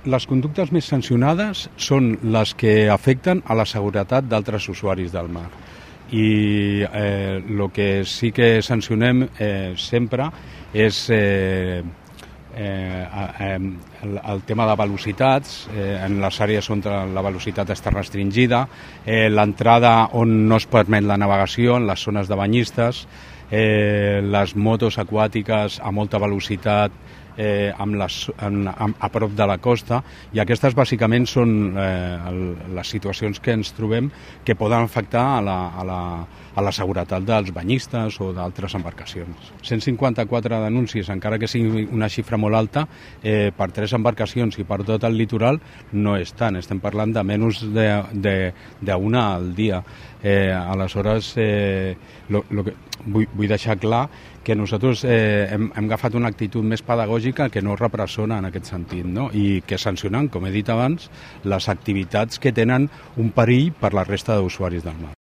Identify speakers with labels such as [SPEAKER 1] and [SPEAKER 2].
[SPEAKER 1] Les conductes més sancionades són les que afecten a la seguretat d'altres usuaris del mar. I el que sí que sancionem sempre és el tema de velocitats, en les àrees on la velocitat està restringida, l'entrada on no es permet la navegació, en les zones de banyistes, les motos aquàtiques a molta velocitat a prop de la costa, i aquestes bàsicament són les situacions que ens trobem que poden afectar a la seguretat dels banyistes o d'altres embarcacions. 154 denúncies, encara que sigui una xifra molt alta, per 3 embarcacions i per tot el litoral no és tant, estem parlant de menys d'una al dia. Aleshores, vull deixar clar que nosaltres hem agafat una actitud més pedagògica que no repressona en aquest sentit, no? I que sancionen, com he dit abans, les activitats que tenen un perill per la resta d'usuaris del mar.